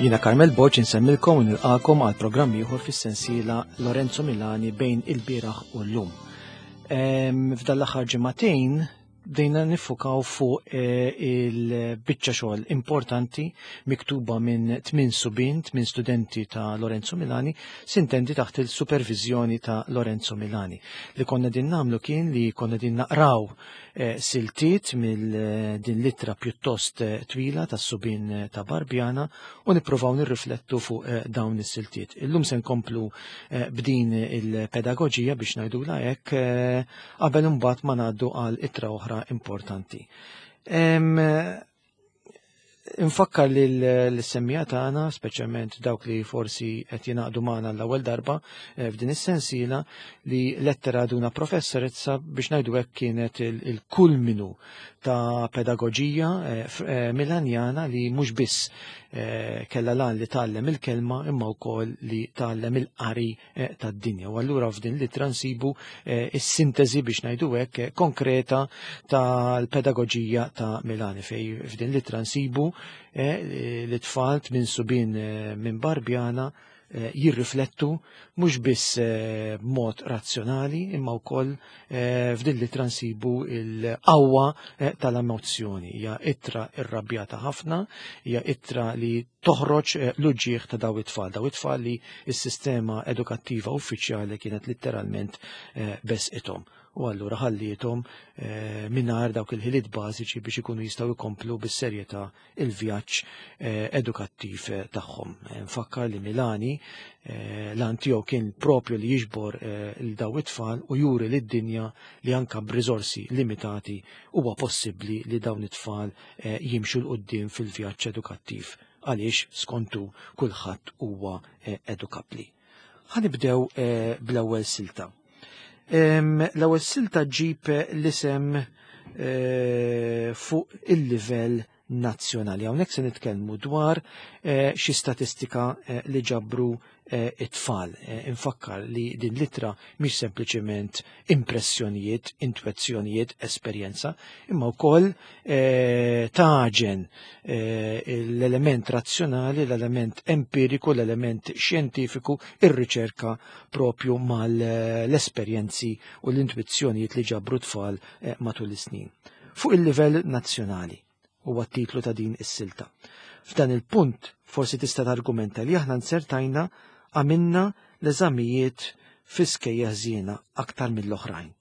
Jina Carmel Borg insemmilkom u nilqakom għal programm ieħor fis-sensiela Lorenzo Milani bejn il-bieraħ u llum. F'dan l-aħħar ġimagħtejn bdejna nifukaw fuq eh, il-biċċa xogħol importanti miktuba minn tmien subin, tmien studenti ta' Lorenzo Milani, sintendi taħt il-supervizjoni ta' Lorenzo Milani. Li konna din namlu kien li konna din naqraw eh, siltiet mill eh, din litra pjuttost twila tas subin ta' Barbjana u nippruvaw nirriflettu fuq dawn is-siltiet. Illum se nkomplu b'din il-pedagoġija biex ngħidula hekk qabel imbagħad ma ngħaddu għal ittra oħra importanti. Infakkar li l-semmija tagħna, speċjalment dawk li forsi qed jingħaqdu magħna l-ewwel darba eh, f'din is-sensiela, li lettera duna professorezza biex ngħidu hekk kienet il-kulminu ta' pedagoġija eh, eh, Milanjana li mhux biss kellha lan li tgħallem il-kelma imma wkoll li tgħallem il-qari Eh, tad-dinja. U allura f'din l-ittra nsibu eh, is-sintesi biex ngħidu hekk eh, konkreta tal-pedagoġija ta' Milani fej f'din l-ittra nsibu l-tfal minn subin minn Barbjana jirriflettu mhux biss b'mod razzjonali imma wkoll f'din l-ittra nsibu l-qawwa tal-emozzjoni. Hija ittra irrabjata ħafna, hija ittra li toħroġ eh, l-uġġieħ ta' daw it-tfal, daw it-tfal li s-sistema edukattiva uffiċjali kienet litteralment eh, besqithom u allura ħalliethom eh, mingħajr dawk il-ħiliet bażiċi biex ikunu jistgħu jkomplu bis-serjetà il-vjaġġ edukattiv tagħhom. Nfakkar li Milani l-għan tiegħu kien propju li jiġbor il daw it-tfal u juri lid-dinja li anka b'riżorsi limitati huwa possibbli li dawn it-tfal Eh, jimxu 'l quddiem fil-vjaġġ edukattiv għaliex skontu kulħadd huwa eh, edukabbli. Ħanibdew eh, bl-ewwel silta. L-ewwel silta ġib l-isem fuq il-livell nazzjonali. Hawnhekk se nitkellmu dwar xi statistika li ġabru Eh, it-tfal. Eh, infakkar li din litra mhix sempliċement impressjonijiet, intwezzjonijiet, esperjenza, imma wkoll eh, taġen l-element razzjonali, l-element empiriku, l-element xjentifiku, ir-riċerka propju mal-esperjenzi u l-intwizzjonijiet li ġabru tfal matul is-snin. Fuq il-livell nazzjonali huwa t-titlu ta' din is-silta. F'dan il-punt forsi tista' targumenta li aħna nsertajna għamilna l-eżamijiet fi skejja ħżiena aktar mill-oħrajn,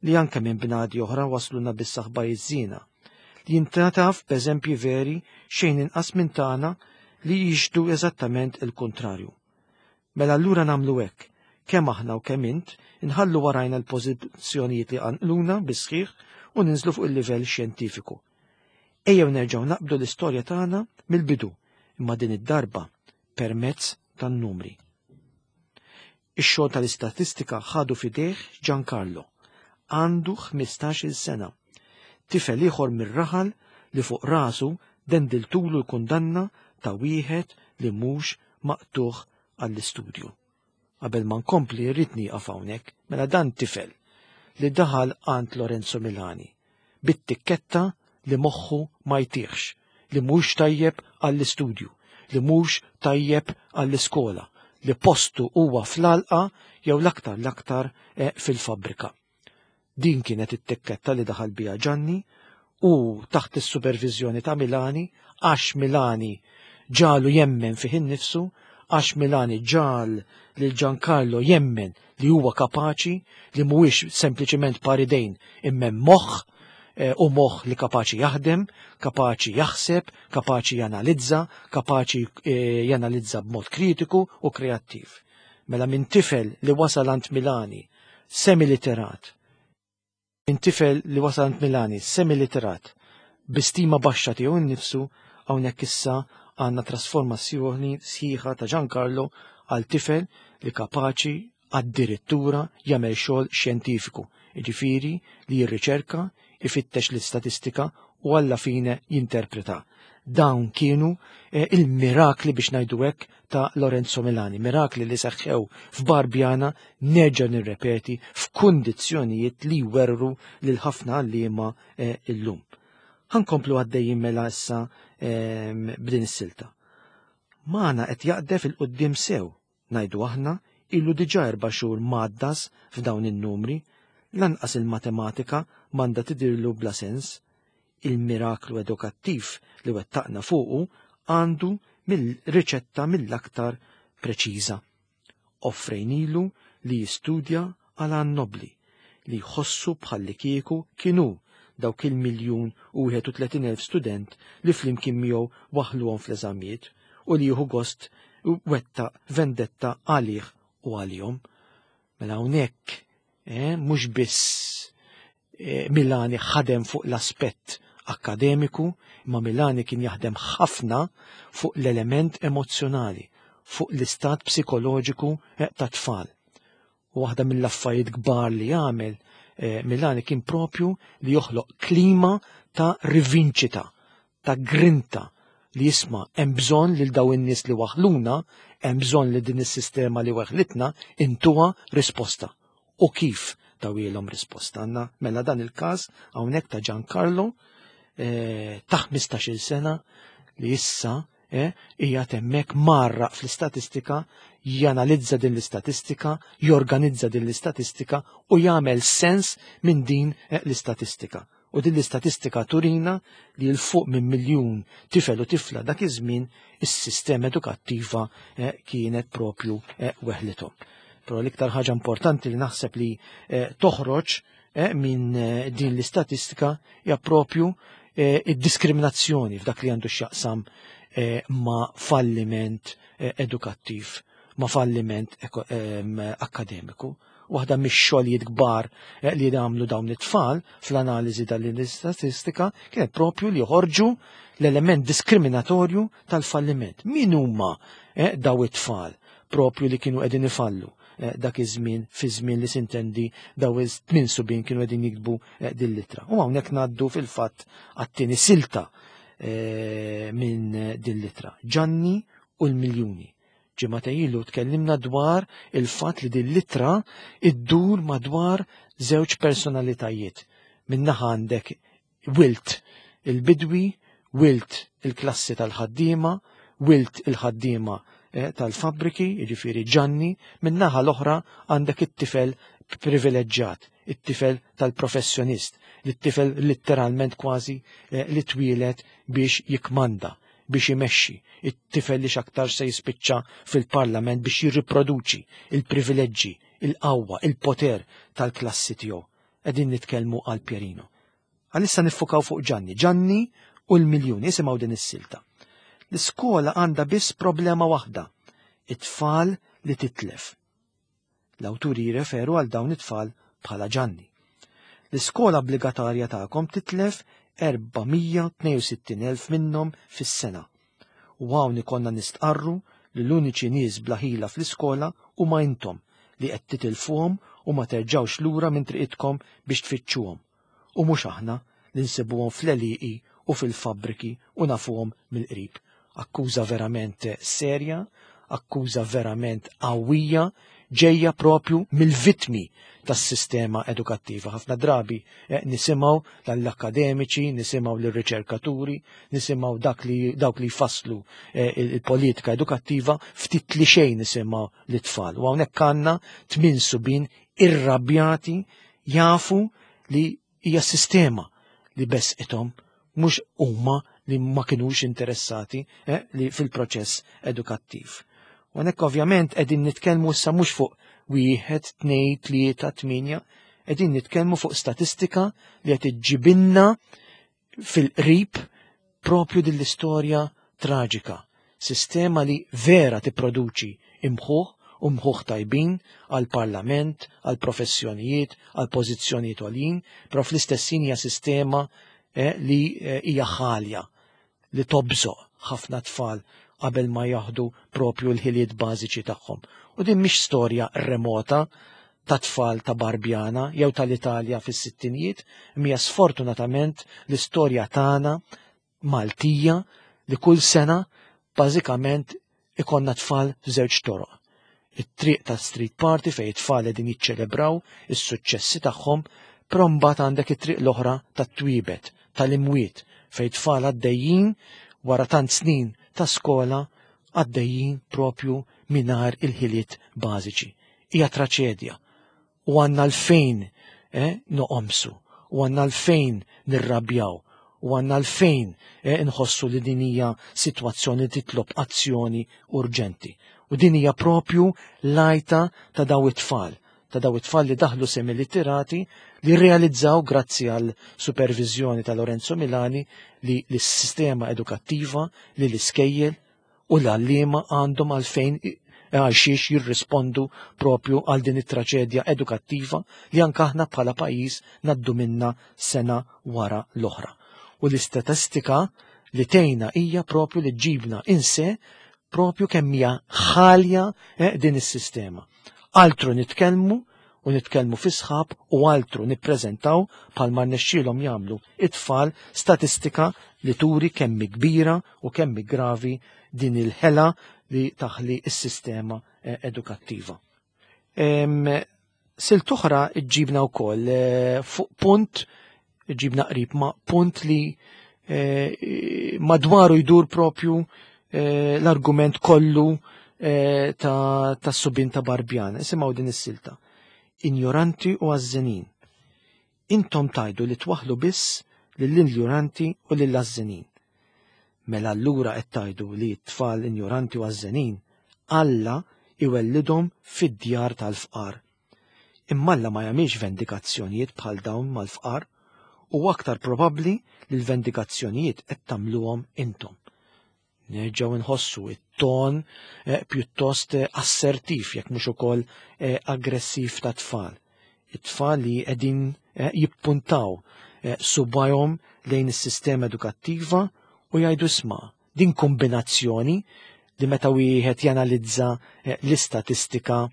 li anke minn bnadi oħra wasluna biss aħbarijiet żiena, li jintnataf b'eżempji veri xejn inqas minn tagħna li jixhdu eżattament il-kuntrarju. Mela allura nagħmlu hekk, kemm aħna u kemm int, inħallu warajna l-pożizzjonijiet li qanqluna bis-sħiħ u ninżlu fuq il-livell xjentifiku. Ejjew nerġgħu naqbdu l-istorja tagħna mill-bidu, imma din id-darba permezz tan-numri. Ix-xogħol tal-istatistika ħadu f'idejh Giancarlo. Għandu 15-il sena. Tifel ieħor mir-raħal li fuq rasu dendiltulu l-kundanna ta' wieħed li mhux maqtugħ għall-istudju. Qabel ma nkompli rrid nieqaf hawnhekk, mela dan tifel li daħal għand Lorenzo Milani bit-tikketta li moħħu ma jtihx, li mhux tajjeb għall-istudju, li mhux tajjeb għall-iskola, li postu huwa fl-għalqa jew l-aktar l-aktar eh, fil-fabbrika. Din kienet it-tikketta li daħal biha Ġanni u taħt is-superviżjoni ta' Milani għax Milani ġalu jemmen fih innifsu, għax Milani ġal lil Giancarlo jemmen li huwa kapaċi, li mhuwiex sempliċement paridejn imma moħħ eh, u moħħ li kapaċi jaħdem, kapaċi jaħseb, kapaċi janalizza, kapaċi eh, janalizza b'mod kritiku u kreattiv. Mela minn tifel li wasal għand Milani semiliterat. Minn tifel li wasal għand Milani semiliterat bi stima baxxa tiegħu nnifsu hawnhekk issa għandna trasformazzjoni sħiħa ta' Giancarlo għal tifel li kapaċi addirittura jagħmel xogħol xjentifiku, jiġifieri li jirriċerka, ifittex l-istatistika u alla fine jinterpreta. Dawn kienu eh, il-mirakli biex ngħidu hekk ta' Lorenzo Milani, mirakli li seħħew f'Barbjana nerġa' nirrepeti f'kundizzjonijiet li jwerru lil ħafna għalliema eh, illum. Ħankomplu għaddejjin mela issa ehm, b'din is-silta. Magħna qed jaqdef 'il quddiem sew, ngħidu aħna, ilu diġà erba' xhur mgħaddas f'dawn in-numri, lanqas il-matematika m'għandha tidhirlu bla sens. Il-miraklu edukattiv li wettaqna fuqu għandu mill-riċetta mill-aktar preċiża. Offrejnilu li jistudja għal għan nobbli, li jħossu bħallikieku kien hu dawk il-miljun u 31,000 student li flimkien miegħu waħħluhom fl-eżamijiet u li jieħu gost wettaq vendetta għalih u għalihom. Mela hawnhekk eh, mhux biss eh, Milani ħadem fuq l-aspett akkademiku, imma Milani kien jaħdem ħafna fuq l-element emozzjonali, fuq l-istat psikoloġiku eh, ta' tfal. U waħda mill-affarijiet kbar li għamel eh, Milani kien propju li joħloq klima ta' rivinċita, ta' grinta li jisma' hemm bżonn lil daw in-nies li waħluna, hemm bżonn li din is-sistema li waħlitna intuha risposta. U kif tawilhom risposta? Għandna mela dan il-każ hawnhekk ta' Giancarlo eh, ta' 15-il sena li issa eh, hija hemmhekk marraq fl-istatistika, janalizza din l-istatistika, jorganizza din l-istatistika u jagħmel sens minn din eh, l-istatistika. U din l-istatistika turina li 'l fuq minn miljun tifel u tifla dak iż-żmien is-sistema edukattiva eh, kienet propju eh, weħlithom. Però l-iktar ħaġa importanti li naħseb li eh, toħroġ minn din l-istatistika hija propju id-diskriminazzjoni f'dak li għandu x'jaqsam ma' falliment edukattiv, ma' falliment akkademiku. Waħda mix-xogħlijiet kbar eh, li għamlu dawn it-tfal fl-analiżi tal-istatistika kienet propju li joħorġu l-element diskriminatorju tal-falliment. Min huma eh, daw it-tfal propju li kienu qegħdin ifallu eh, dak iż-żmien fi żmien li sintendi daw iż-tmien subien kienu qegħdin jiktbu din l-ittra. U hawnhekk ngħaddu fil-fatt għat-tieni silta minn din l-ittra. Ġanni u l-miljuni. Ġimgħa ilu tkellimna dwar il-fatt li din l-ittra iddur madwar żewġ personalitajiet. Min-naħa għandek wilt il-bidwi, wilt il-klassi tal-ħaddiema, wilt il-ħaddiema eh, tal-fabbriki, jiġifieri Ġanni, min-naħa l-oħra għandek it-tifel privileġġjat, it-tifel tal-professjonist, it-tifel letteralment kważi eh, li twieled biex jikmanda, biex imexxi, it-tifel li x'aktar se jispiċċa fil-parlament biex jirriproduċi il-privileġġi, il-qawwa, il-poter tal-klassi tiegħu. Qegħdin nitkellmu għal Pierino. Għalissa niffukaw fuq Ġanni. Ġanni u l-miljuni, isimgħu din is-silta. L-iskola għandha biss problema waħda, it-tfal li titlef. L-awturi jirreferu għal dawn it-tfal bħala Ġanni. L-iskola obbligatorja tagħkom titlef 462,000 minnhom fis-sena. U hawn ikollna nistqarru li l-uniċi nies bla ħila fl-iskola huma intom li qed titilfuhom u ma terġgħux lura minn triqitkom biex tfittxuhom. U mhux aħna li nsibuhom fl-għelieqi u fil-fabbriki u nafuhom mill-qrib. Akkuża verament serja, akkuża verament qawwija, ġejja propju mill-vittmi tas-sistema edukattiva. Ħafna drabi eh, nisimgħu l-akademiċi, nisimgħu l-riċerkaturi, nisimgħu dak li dawk li jfasslu eh, il-politika edukattiva, ftit li xejn nisimgħu l-tfal. U hawnhekk għandna tmien subin irrabjati jafu li hija sistema li besqithom mhux huma li ma kinux interessati eh, li fil-proċess edukattiv. U hawnhekk ovvjament qegħdin nitkellmu issa mhux fuq wieħed, tnej, tlieta, tminja, qegħdin nitkellmu fuq statistika li qed iġġibinna fil-qrib propju din l-istorja traġika. Sistema li vera tipproduċi imħuħ u mħuħ tajbin għal-parlament, għal-professjonijiet, għal-pożizzjonijiet għoljin, però fl-istess hija sistema eh, li eh, hija ħalja li tobżoq ħafna tfal qabel ma jaħdu propju l-ħiliet bażiċi tagħhom. U din mhix storja remota ta' tfal ta' Barbjana jew tal-Italja fis-sittinijiet, imma sfortunatament l-istorja tagħna Maltija li kull sena bażikament ikonna tfal f'żewġ toroq. It-triq ta' street party fejn it-tfal qegħdin jiċċelebraw is-suċċessi tagħhom, però mbagħad għandek it-triq l-oħra tat-twiebet, tal-imwiet fejn tfal għaddejjin wara tant snin ta' skola għaddejjin propju mingħajr il-ħiliet bażiċi. Hija traċedja u għandna l-fejn eh, noqomsu, u għandna l-fejn nirrabjaw, u għandna l-fejn eh, nħossu li din hija sitwazzjoni titlob azzjoni urġenti. U din hija propju lajta ta' daw it-tfal, ta' daw it-tfal li daħlu semilitterati li realizzaw grazzi għal supervizjoni ta' Lorenzo Milani li l-sistema edukattiva, li l-iskejjel u l-għalliema għandhom għalfejn għal xiex jirrispondu propju għal din it-traċedja edukattiva li anke aħna bħala pajjiż naddu minna sena wara l-oħra. U l-istatistika li tejna hija propju li ġibna inse propju kemm hija ħalja eh, din is-sistema. Altru nitkellmu u nitkellmu fi sħab u altru nippreżentaw bħalma rnexxielhom jagħmlu it-tfal statistika li turi kemm kbira u kemm gravi din il-ħela li taħli s-sistema eh, edukattiva. Silt oħra ġibna wkoll eh, fuq punt ġibna qrib ma' punt li eh, madwaru jdur propju l-argument kollu ta', ta subin ta' Barbjan. Isimgħu din is-silta. Injoranti u għażżenin. Intom tajdu li twaħlu biss lill-injoranti u lill-għażżenin. Mela allura qed tgħidu li t-tfal injoranti u għażżenin Alla iwellidhom fid-djar tal-fqar. Imma Alla ma jagħmilx vendikazzjonijiet bħal dawn mal-fqar u aktar probabbli li l-vendikazzjonijiet qed tagħmluhom intom. Nerġgħu nħossu it-ton eh, pjuttost eh, assertiv jekk mhux ukoll eh, aggressiv ta' tfal. It-tfal li qegħdin jippuntaw subajhom lejn is-sistema edukattiva u jgħidu isma' din kombinazzjoni li meta wieħed janalizza l-istatistika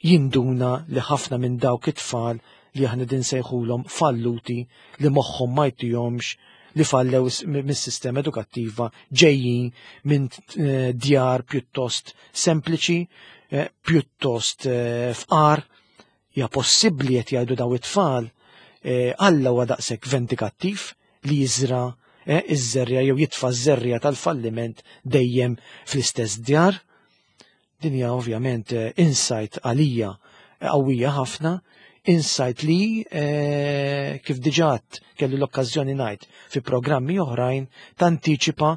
jinduna li ħafna minn dawk it-tfal li aħna din sejħulhom falluti li moħħhom ma jtihomx li fallew mis-sistema edukattiva ġejjin minn eh, djar pjuttost sempliċi, eh, pjuttost eh, fqar, hija possibbli qed jgħidu daw it-tfal Alla huwa daqshekk vendikattiv li jiżra iż-żerja jew jitfa' ż-żerja tal-falliment dejjem fl-istess djar. Din hija ovvjament eh, insight għalija eh, qawwija ħafna, insight li eh, kif diġà kelli l-okkażjoni ngħid fi programmi oħrajn tantiċipa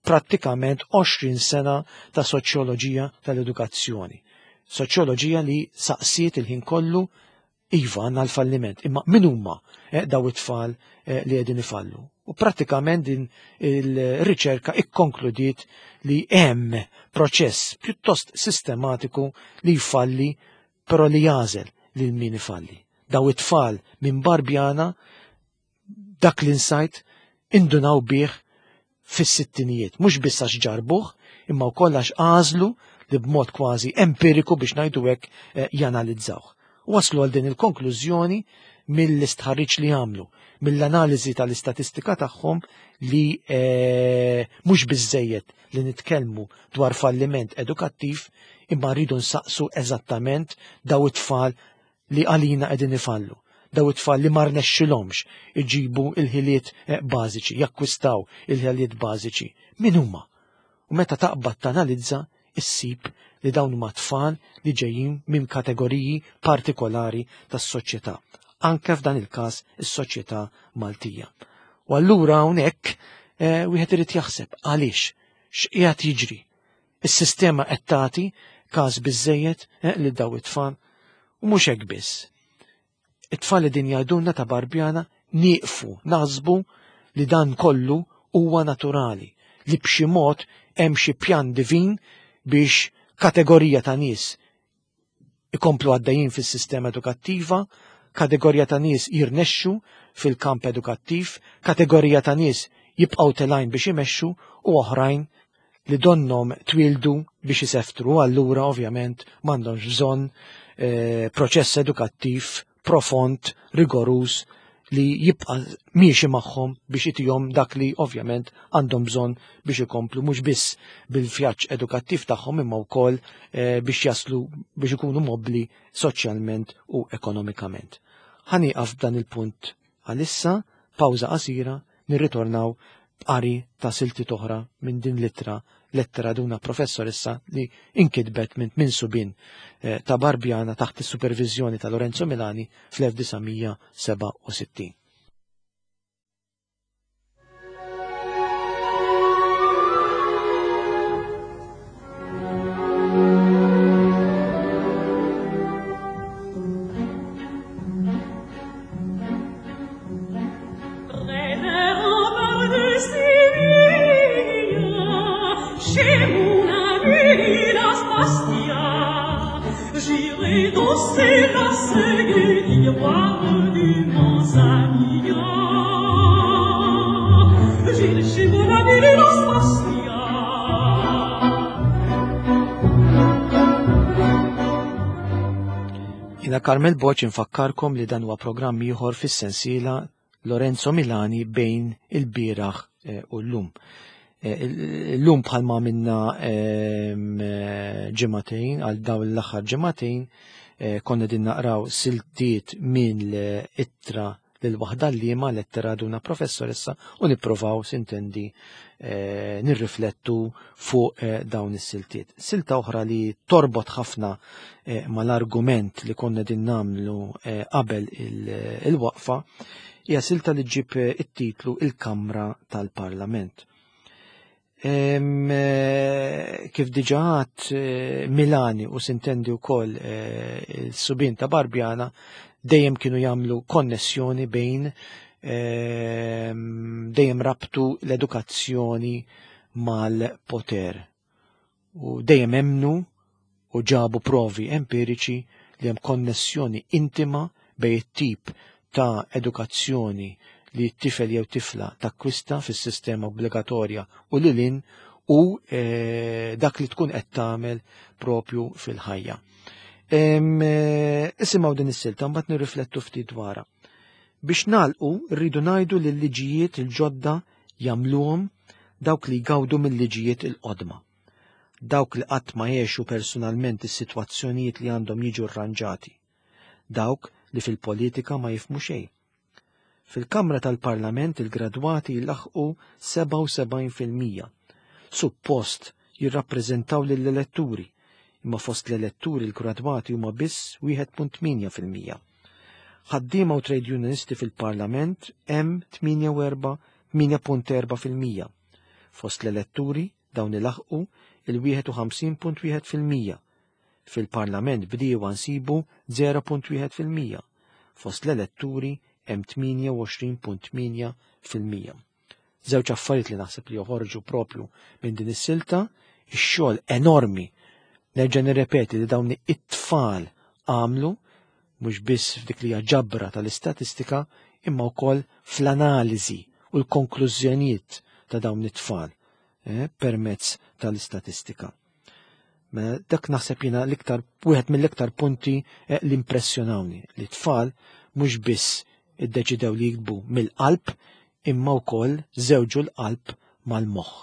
prattikament 20 sena ta' soċjoloġija tal-edukazzjoni. Soċjoloġija li saqsiet il-ħin kollu Iva, għandna l-falliment, imma min huma eh, daw it-tfal eh, li qegħdin ifallu? U prattikament din il-riċerka ikkonkludiet li hemm proċess pjuttost sistematiku li jfalli però li jażel lil min ifalli. Daw it-tfal minn Barbjana dak l-insight indunaw bih fis-sittinijiet, mhux biss għax ġarbuh, imma wkoll għax għażlu li b'mod kważi empiriku biex ngħidu hekk eh, janalizzawh. Waslu għal din il-konklużjoni mill-istħarriġ li għamlu, mill-analiżi tal-istatistika tagħhom li eh, mhux biżejjed li nitkellmu dwar falliment edukattiv imma rridu nsaqsu eżattament daw it-tfal li għalina qegħdin ifallu. Daw it-tfal li ma rnexxilhomx iġibu il-ħiliet eh, bażiċi, jakkwistaw il-ħiliet bażiċi. Min huma? U meta taqbad tanalizza, issib li dawn huma tfal li ġejjin minn kategoriji partikolari tas-soċjetà. Anke f'dan il-każ is-soċjetà Maltija. U allura hawnhekk eh, wieħed irid jaħseb għaliex x'qiegħed jiġri Is-sistema qed tagħti każ biżejjed eh, lil daw it-tfal u mhux hekk biss. It-tfal li din jgħidulna ta' Barbjana nieqfu naħsbu li dan kollu huwa naturali, li b'xi mod hemm xi pjan divin biex kategorija ta' nies ikomplu għaddejjin fis-sistema edukattiva, kategorija ta' nies jirnexxu fil-kamp edukattiv, kategorija ta' nies jibqgħu telgħin biex imexxu u oħrajn li donnom twildu biex iseftru, allura ovvjament m'għandhomx bżonn eh, proċess edukattiv profond, rigoruż li jibqa' miexi magħhom biex itihom dak li ovvjament għandhom bżonn biex ikomplu mhux biss bil-vjaġġ edukattiv tagħhom imma wkoll eh, biex jaslu biex ikunu mobbli soċjalment u ekonomikament. Ħanieqaf b'dan il-punt għalissa, pawża qasira, nirritornaw b'qari ta' siltiet oħra minn din l-ittra lettera duna professoressa li inkitbet minn tmien subien eh, ta' Barbjana taħt is-superviżjoni ta' Lorenzo Milani fl-1967. Jina Carmel Boċ infakkarkom li dan huwa programm ieħor fis-sensiela Lorenzo Milani bejn il-bieraħ eh, u llum. Eh, illum bħalma minna ehm, eh, ġematejn, għal dawn l-aħħar ġematejn, konna din naqraw siltiet minn l-ittra lil waħda liema lettera duna professoressa u nipprovaw sintendi eh, nirriflettu fuq eh, dawn is-siltiet. Silta oħra li torbot ħafna eh, mal-argument li konna din namlu eh, qabel il-waqfa hija silta li ġib eh, it-titlu Il-Kamra tal-Parlament. Eh, kif diġa eh, Milani u sintendi wkoll eh, il-subin ta' Barbjana dejjem kienu jagħmlu konnessjoni bejn dejjem rabtu l-edukazzjoni mal-poter. U dejjem emnu u ġabu provi empiriċi li hemm konnessjoni intima bejn it-tip ta' edukazzjoni li t-tifel jew tifla takkwista fis-sistema obbligatorja u lil hinn u e, dak li tkun qed tagħmel propju fil-ħajja. E, isimgħu din is-silta mbagħad nirriflettu ftit dwarha. Biex nagħlqu rridu ngħidu li l-liġijiet il-ġodda jagħmluhom dawk li jgawdu mill-liġijiet il-qodma. Dawk li qatt ma għexu personalment is-sitwazzjonijiet li għandhom jiġu rranġati. Dawk li fil-politika ma jifhmu xejn. Fil-Kamra tal-Parlament il-gradwati jlaħħqu 77%. Suppost jirrappreżentaw lill-eletturi, imma fost l-eletturi l-gradwati huma biss 1.8%. Ħaddiema u trade unionisti fil-Parlament hemm 8.4%. Fost l-eletturi dawn ilaħqu il-51.1%. Fil-Parlament bdiewa nsibu 0.1%. Fost l-eletturi hemm 28.8%. Żewġ affarijiet li naħseb li joħorġu propju minn din is-silta, ix-xogħol enormi nerġa' nirrepeti li dawn it-tfal għamlu mhux biss f'dik li hija ġabra tal-istatistika imma wkoll fl-analiżi u l-konklużjonijiet ta' dawn it-tfal eh, permezz tal-istatistika. Mela, dak naħseb jiena l-iktar wieħed mill-iktar punti eh, li impressjonawni li tfal mhux biss iddeċidew li jiktbu mill-qalb imma wkoll żewġu l-qalb mal-moħħ.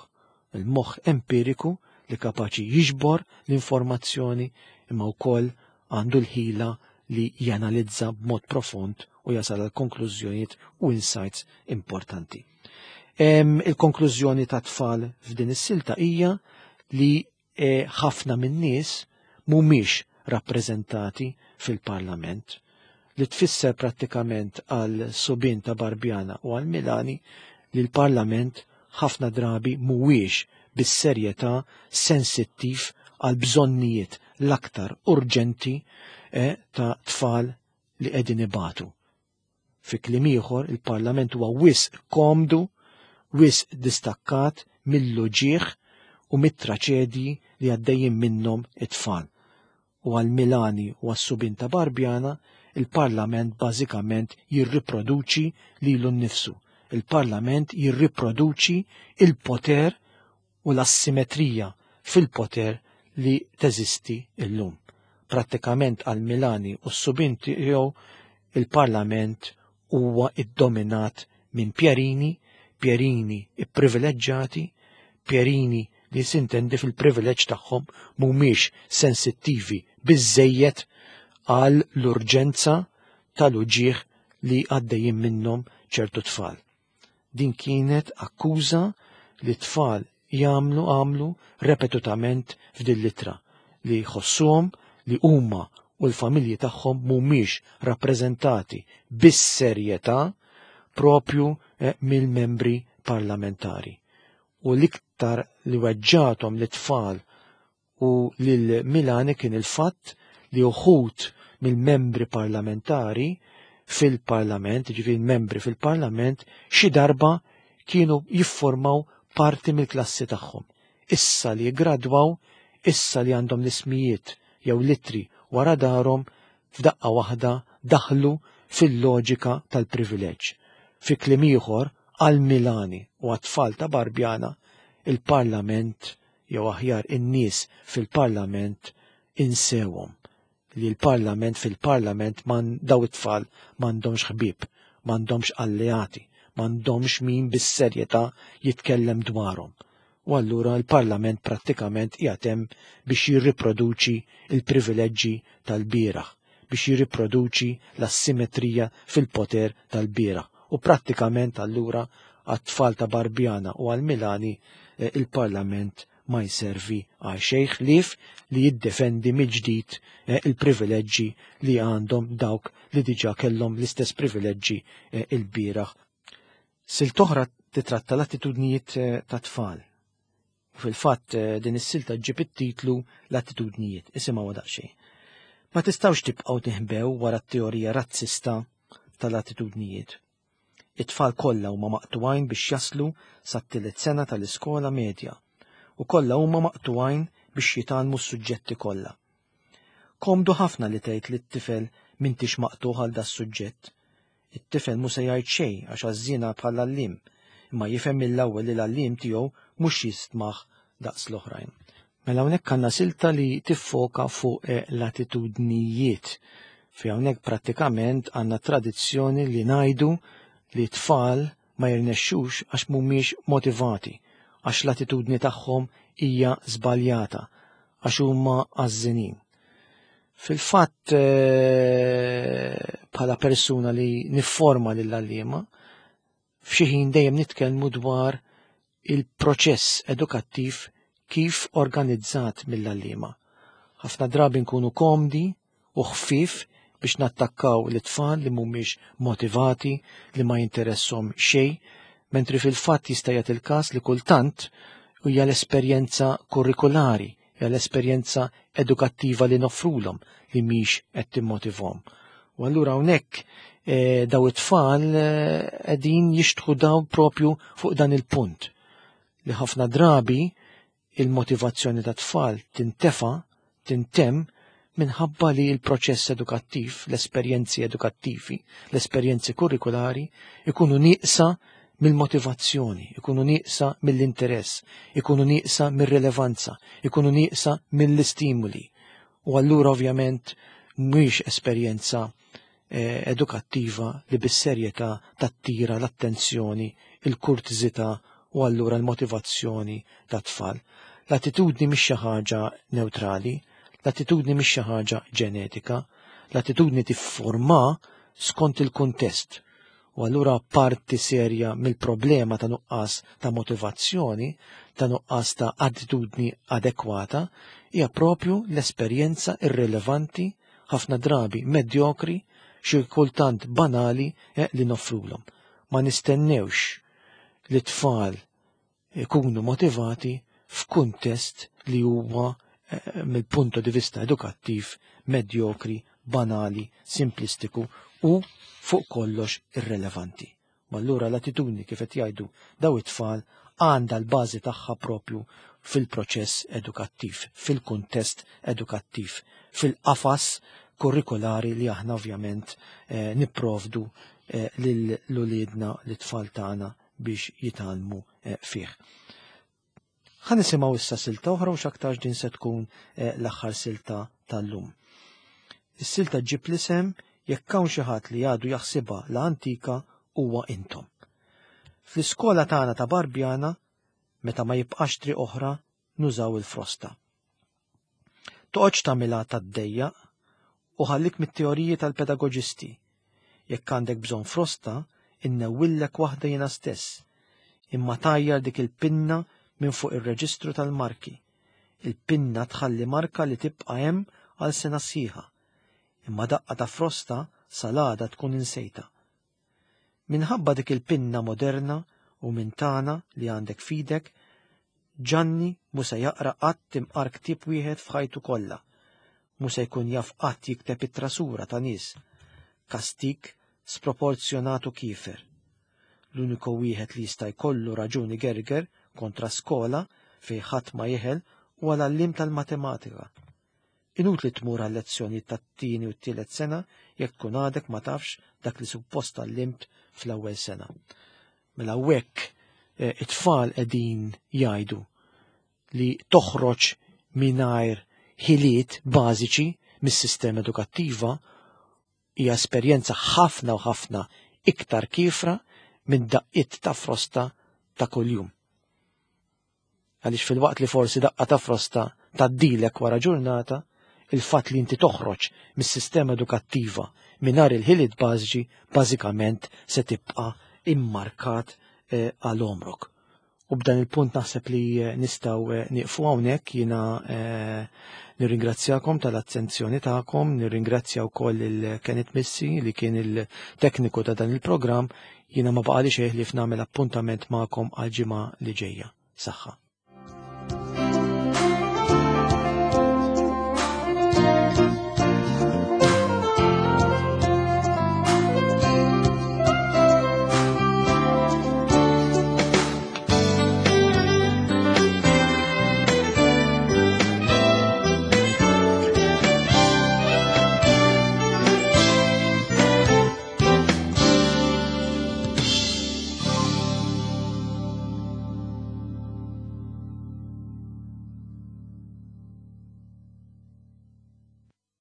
Il-moħħ empiriku li kapaċi jiġbor l-informazzjoni imma wkoll għandu l-ħila li janalizza b'mod profond u jasal għal konklużjonijiet u insights importanti. Il-konklużjoni ta' tfal f'din is-silta hija li eh, ħafna min-nies mhumiex rappreżentati fil-Parlament li tfisser prattikament għal subin ta' Barbjana u għal Milani li l-Parlament ħafna drabi mhuwiex bis-serjetà sensittiv għal bżonnijiet l-aktar urġenti eh, ta' tfal li qegħdin ibatu. Fi kliem ieħor, il-Parlament huwa wisq komdu, wisq distakkat mill-uġigħ u mit-traċedji li għaddejjin minnhom it-tfal. U għal Milani u għas-subien ta' Barbjana, il-Parlament bażikament jirriproduċi lilu nnifsu. Il-Parlament jirriproduċi il-poter u l-assimetrija fil-poter li teżisti illum. Prattikament għal Milani u s-subien tiegħu il-Parlament huwa iddominat minn Pierini, Pierini ipprivileġġati, Pierini li sintendi fil-privileġġ tagħhom mhumiex sensittivi biżżejjed għal l-urġenza tal-uġigħ li għaddejjin minnhom ċertu tfal. Din kienet akkuża li tfal jagħmlu għamlu repetutament f'din l-ittra li jħossuhom li huma u l-familji tagħhom mhumiex rappreżentati bis-serjetà propju eh, mill-membri parlamentari. U l-iktar li weġġatom l-tfal u lil Milani kien il-fatt li uħud mill-membri parlamentari fil-parlament, ġifieri membri fil-parlament, xi darba kienu jiffurmaw parti mill-klassi tagħhom. Issa li gradwaw, issa li għandhom l-ismijiet jew litri wara darhom, f'daqqa waħda daħlu fil-loġika tal-privileġġ. Fi kliem ieħor, għal Milani u għat-tfal ta' Barbjana, il-Parlament jew aħjar in-nies fil-Parlament insewhom li l-Parlament fil-Parlament man daw it-tfal m'għandhomx ħbieb, m'għandhomx alleati, m'għandhomx min bis-serjetà jitkellem dwarhom. U allura l-Parlament prattikament qiegħed hemm biex jirriproduċi l-privileġġi tal-bieraħ, biex jirriproduċi l-assimetrija fil-poter tal-bieraħ. U prattikament allura għat-tfal ta' Barbjana u għal Milani eh, il-Parlament ma jservi għal xejn ħlief li jiddefendi mill-ġdid eh, il-privileġġi li għandhom dawk li diġà kellhom l-istess privileġġi eh, il-bieraħ. Silt oħra titratta l-attitudnijiet eh, ta' tfal. Fil-fatt din is-silta ġġib it-titlu l-attitudnijiet, isimgħu daqsxejn. Ma tistgħux tibqgħu tinħbew wara t-teorija razzista tal-attitudnijiet. It-tfal kollha huma maqtugħin biex jaslu sat-tielet sena tal-iskola medja u kollha huma maqtugħin biex jitgħallmu s-suġġetti kollha. Komdu ħafna li tgħid lit-tifel m'intix maqtugħ għal das-suġġett. It-tifel mhu se jgħid xejn għax għażżiena bħall-għalliem, imma jifhem mill-ewwel li l-għalliem tiegħu mhux jistmah daqs l-oħrajn. Mela hawnhekk għandna silta li tiffoka fuq eh, l-attitudnijiet. Fi hawnhekk prattikament għandna tradizzjoni li ngħidu li tfal ma jirnexxux għax mhumiex motivati, għax l-attitudni tagħhom hija żbaljata, għax huma għażżinin. Fil-fatt eh, bħala persuna li nifforma lill-għalliema, f'xi ħin dejjem nitkellmu dwar il-proċess edukattiv kif organizzat mill-għalliema. Ħafna drabi nkunu komdi u ħfief biex nattakkaw l-tfal li mhumiex motivati, li ma jinteressom xejn, mentri fil-fatt jista' jagħti il-każ li kultant hija l-esperjenza kurrikulari, hija l-esperjenza edukattiva li noffrulhom li mhix qed timmotivhom. U allura hawnhekk eh, daw it-tfal eh, qegħdin jixtħu daw propju fuq dan il-punt li ħafna drabi il-motivazzjoni ta' tfal tintefa, tintemm minħabba li l-proċess edukattiv, l-esperjenzi edukattivi, l-esperjenzi kurrikulari ikunu nieqsa mill-motivazzjoni, ikunu nieqsa mill-interess, ikunu nieqsa mir-rilevanza, ikunu nieqsa mill-istimuli. U allura ovvjament mhix esperjenza eh, edukattiva li bis-serjetà tattira l-attenzjoni, il-kurtiżità u allura l-motivazzjoni ta' tfal. L-attitudni mhix xi ħaġa neutrali, l-attitudni mhix xi ħaġa ġenetika, l-attitudni tifforma skont il-kuntest. U allura parti serja mill-problema ta' nuqqas ta' motivazzjoni, ta' nuqqas ta' attitudni adekwata, hija propju l-esperjenza irrilevanti, ħafna drabi medjokri, xi kultant banali eh, li noffrulhom. Ma nistennewx li tfal ikunu motivati f'kuntest li huwa eh, mill-punto di vista edukattiv medjokri, banali, simplistiku u fuq kollox irrelevanti. Ma allura l-attitudni kif qed jgħidu daw it-tfal għandha l-bażi tagħha propju fil-proċess edukattiv, fil-kuntest edukattiv, fil-qafas kurrikulari li aħna ovvjament eh, nipprovdu eh, lil uliedna l-tfal tagħna biex jitgħallmu eh, fih. Ħa nisimgħu issa silta oħra u x'aktarx din se tkun eh, l-aħħar silta tal-lum. Is-silta ġib l-isem jekk hawn xi ħadd li għadu jaħsibha la antika huwa intom. Fl-iskola tagħna ta' Barbjana, meta ma jibqax triq oħra, nużaw il-frosta. Toqgħodx tagħmilha tad-dejjaq u ħallik mit-teoriji tal-pedagoġisti. Jekk għandek bżonn frosta, Innewwillek waħda jiena stess. Imma tajjar dik il-pinna minn fuq ir-reġistru tal-marki. Il-pinna tħalli marka li tibqa' hemm għal sena sħiħa. Imma daqqa ta' frosta sal-għada tkun insejtha. Minħabba dik il-pinna moderna u minn tagħna li għandek f'idek, Ġanni mhu se jaqra qatt imqar ktieb wieħed f'ħajtu kollha. Mhu se jkun jaf qatt jikteb ittra sura ta' nies. Kastig sproporzjonat u kiefer. L-uniku wieħed li jista' jkollu raġun igerger kontra skola fejn ħadd ma jeħel huwa l-għalliem tal-matematika. Inutli tmur għal-lezzjonijiet tat-tieni u t-tielet sena jekk tkun għadek ma tafx dak li suppost tgħallimt fl-ewwel sena. Mela hawnhekk eh, it-tfal qegħdin jgħidu li toħroġ mingħajr ħiliet bażiċi mis-sistema edukattiva hija esperjenza ħafna u ħafna iktar kiefra minn daqqiet ta' frosta ta' kuljum. Għaliex filwaqt li forsi daqqa ta' frosta tgħaddilek wara ġurnata, il-fatt li inti toħroġ mis-sistema edukattiva mingħajr il-ħiliet bażiċi bażikament se tibqa' immarkat eh, għal għomrok. U b'dan il-punt naħseb li eh, nistgħu eh, nieqfu hawnhekk jiena nirringrazzjakom tal-attenzjoni tagħkom, nirringrazzja wkoll il-Kenneth Missi li kien il-tekniku ta' dan il-programm, jiena ma baqali xejn li f'nagħmel appuntament magħkom għal ġimgħa li ġejja. Saħħa.